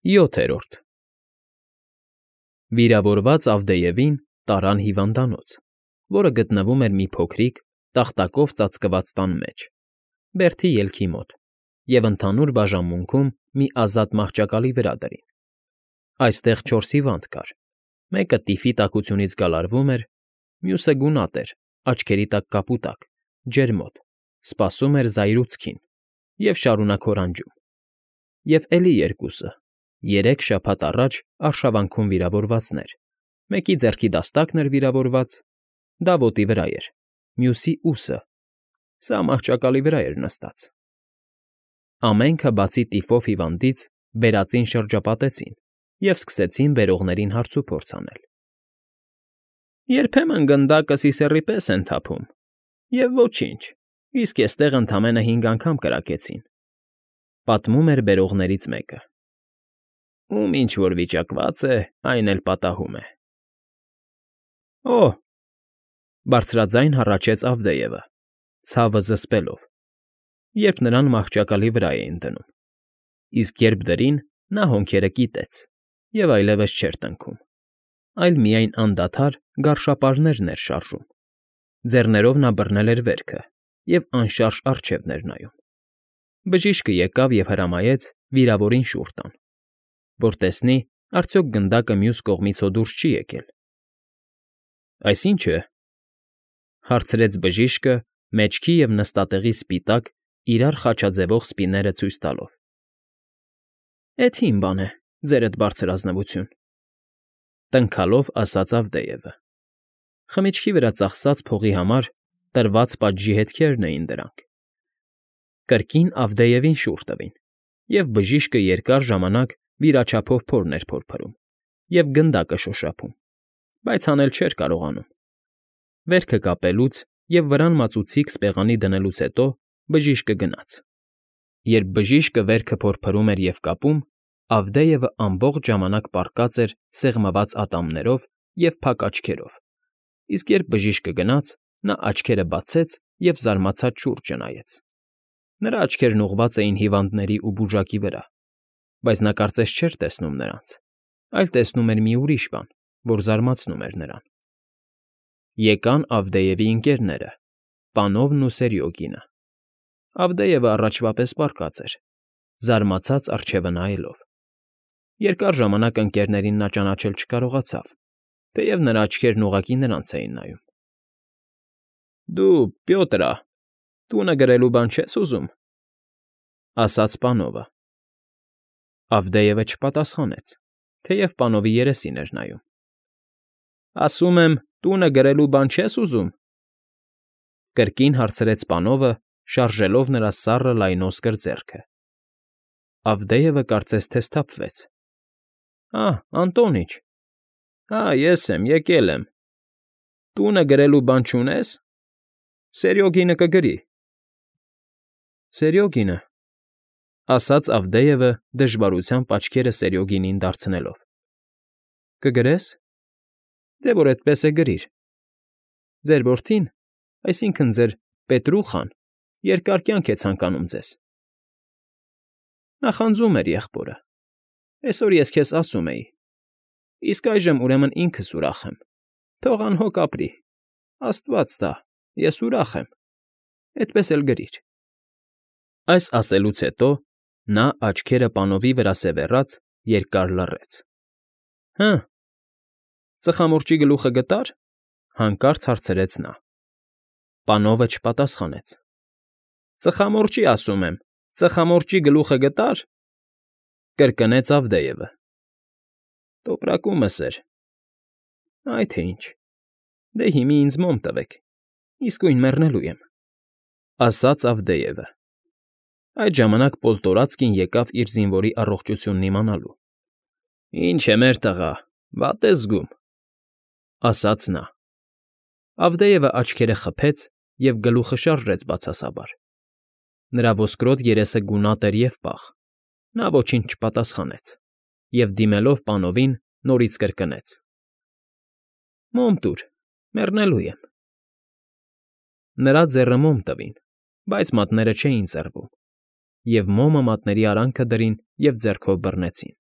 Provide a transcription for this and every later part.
7-րդ Վիրավորված Ավդեևին տարան հիվանդանոց, որը գտնվում էր մի փոքրիկ, տախտակով ծածկված տան մեջ, բերդի ելքի մոտ, և ընդհանուր բաժանմունքում մի ազատ մահճակալի վրա դրին. այստեղ 4 հիվանդ կար, մեկը տիֆի տաքությունից գալարվում էր, մյուսը գունատ էր, աչքերի տակ կապուտակ, ջերմոտ, սպասում էր զայրույցքին և շարունակ հորանջում, և էլի երկուսը, 3 շաբաթ առաջ արշավանքում վիրավորվածներ, մեկի ձեռքի դաստակն էր վիրավորված, դա ոտի վրա էր, մյուսի՝ ուսը, սա մահճակալի վրա էր նստած. ամենքը բացի տիֆով հիվանդից բերածին շրջապատեցին և սկսեցին բերողներին հարցուփորձ անել։ Երբեմն գնդակը սիսեռի պես են թափում, և ոչինչ, իսկ էստեղ ընդամենը 5 անգամ կրակեցին, պատմում էր բերողներից մեկը։ Ում ինչ֊որ վիճակված է, այն էլ պատահում է։ Օ՜հ,֊ բարձրաձայն հառաչեց Ավդեևը, ցավը զսպելով, երբ նրան մահճակալի վրա էին դնում, իսկ երբ դրին, նա հոնքերը կիտեց և այլևս չէր տնքում, այլ միայն անդադար գարշապարներն էր շարժում, ձեռներով նա բռնել էր վերքը և անշարժ առջև էր նայում։ Բժիշկը եկավ և հրամայեց վիրավորին շուռ տան, որ տեսնի, արդյոք գնդակը մյուս կողմից հո դուրս չի եկել։ Այս ի՞նչ է,֊ հարցրեց բժիշկը մեջքի և նստատեղի սպիտակ, իրար խաչաձևող սպիները ցույց տալով։ Էդ հին բան է, ձերդ բարձրազնվություն,֊ տնքալով ասաց Ավդեևը։ Խմիչքի վրա ծախսած փողի համար տրված պատժի հետքերն էին դրանք։ Կրկին Ավդեևին շուռ տվին, և բժիշկը երկար ժամանակ վիրաչափով փորն էր փորփրում և գնդակը շոշափում, բայց հանել չէր կարողանում։ Վերքը կապելուց և վրան մածուցիկ սպեղանի դնելուց հետո բժիշկը գնաց։ Երբ բժիշկը վերքը փորփրում էր և կապում, Ավդեևը ամբողջ ժամանակ պառկած էր սեղմված ատամներով և փակ աչքերով, իսկ երբ բժիշկը գնաց, նա աչքերը բացեց և զարմացած շուրջը նայեց։ Նրա աչքերն ուղղված էին հիվանդների ու բուժակի վրա, բայց նա կարծես չէր տեսնում նրանց, այլ տեսնում էր մի ուրիշ բան, որ զարմացնում էր նրան։ Եկան Ավդեևի ընկերները՝ Պանովն ու Սերյոգինը։ Ավդեևը առաջվա պես պառկած էր, զարմացած առջևը նայելով։ Երկար ժամանակ ընկերներին նա ճանաչել չկարողացավ, թեև նրա աչքերն ուղղակի նրանց էին նայում։ Դու, Պյոտրա, տունը գրելու բան չես ուզում,֊ ասաց Պանովը։ Ավդեևը չպատասխանեց, թեև Պանովի երեսին էր նայում։ Ասում եմ, տունը գրելու բան չես ուզում,֊ կրկին հարցրեց Պանովը, շարժելով նրա սառը լայնոսկր ձեռքը։ Ավդեևը կարծես թե սթափվեց։ Անտոնիչ, ես եմ, եկել եմ։ Տունը գրելու բան չունե՞ս։ Սերյոգինը կգրի։ Սերյոգինը,֊ ասաց Ավդեևը դժվարությամբ աչքերը Սերյոգինին դարձնելով։ Կգրե՞ս։ Դե որ էդպես է, գրիր։ Ձեր որդին, այսինքն ձեր Պետրուխան, երկար կյանք է ցանկանում ձեզ։ Նախանձում էր եղբորը։ Էսօր ես քեզ ասում էի։ Իսկ այժմ ուրեմն ինքս ուրախ եմ։ Թող անհոգ ապրի։ Աստված տա, ես ուրախ եմ։ Էդպես էլ գրիր։ Այս ասելուց հետո նա, աչքերը Պանովի վրա սևեռած, երկար լռեց։ Հը՞, ծխամորճի գլուխը գտա՞ր,֊ հանկարծ հարցրեց նա։ Պանովը չպատասխանեց։ Ծխամորճի, ասում եմ, ծխամորճի գլուխը գտա՞ր,֊ կրկնեց Ավդեևը։ Տոպրակումս էր։ Այ թե ինչ։ Դե հիմա ինձ մոմ տվեք, իսկույն մեռնելու եմ,֊ ասաց Ավդեևը։ Այդ ժամանակ Պոլտորացկին եկավ իր զինվորի առողջությունն իմանալու։ Ինչ է, մեր տղա, վատ ես զգում,֊ ասաց նա։ Ավդեևը աչքերը խփեց և գլուխը շարժեց բացասաբար։ Նրա ոսկրոտ երեսը գունատ էր և պաղ, նա ոչինչ չպատասխանեց և, դիմելով Պանովին, նորից կրկնեց. Մոմ տուր, մեռնելու եմ։ Նրա ձեռը մոմ տվին, բայց մատները չէին ծռվում, և մոմը մատների արանքը դրին և ձեռքով բռնեցին։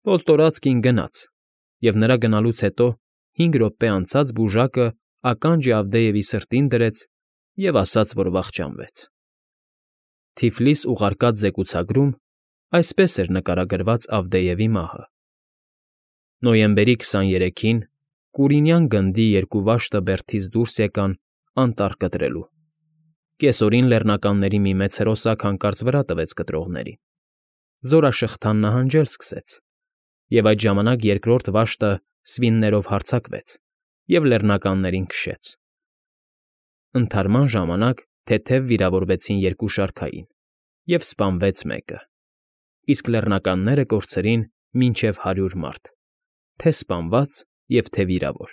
Պոլտորացկին գնաց, և նրա գնալուց հետո 5 րոպե անցած բուժակը ականջ Ավդեևի սրտին դրեց և ասաց, որ վախճանվեց։ Թիֆլիս ուղարկած զեկուցագրում այսպես էր նկարագրված Ավդեևի մահը. Նոյեմբերի 23-ին Կուրինյան գնդի 2 վաշտը բերդից դուրս եկան անտառ կտրելու։ Կեսօրին լեռնականների մի մեծ հրոսակ հանկարծ վրա տվեց կտրողներին։ Զորաշղթան նահանջել սկսեց, և այդ ժամանակ երկրորդ վաշտը սվիններով հարձակվեց և լեռնականներին քշեց։ Ընդհարման ժամանակ թեթև վիրավորվեցին 2 շարքային, և սպանվեց մեկը, իսկ լեռնականները կորցրին մինչև 100 մարդ, թե՛ սպանված և թե՛ վիրավոր։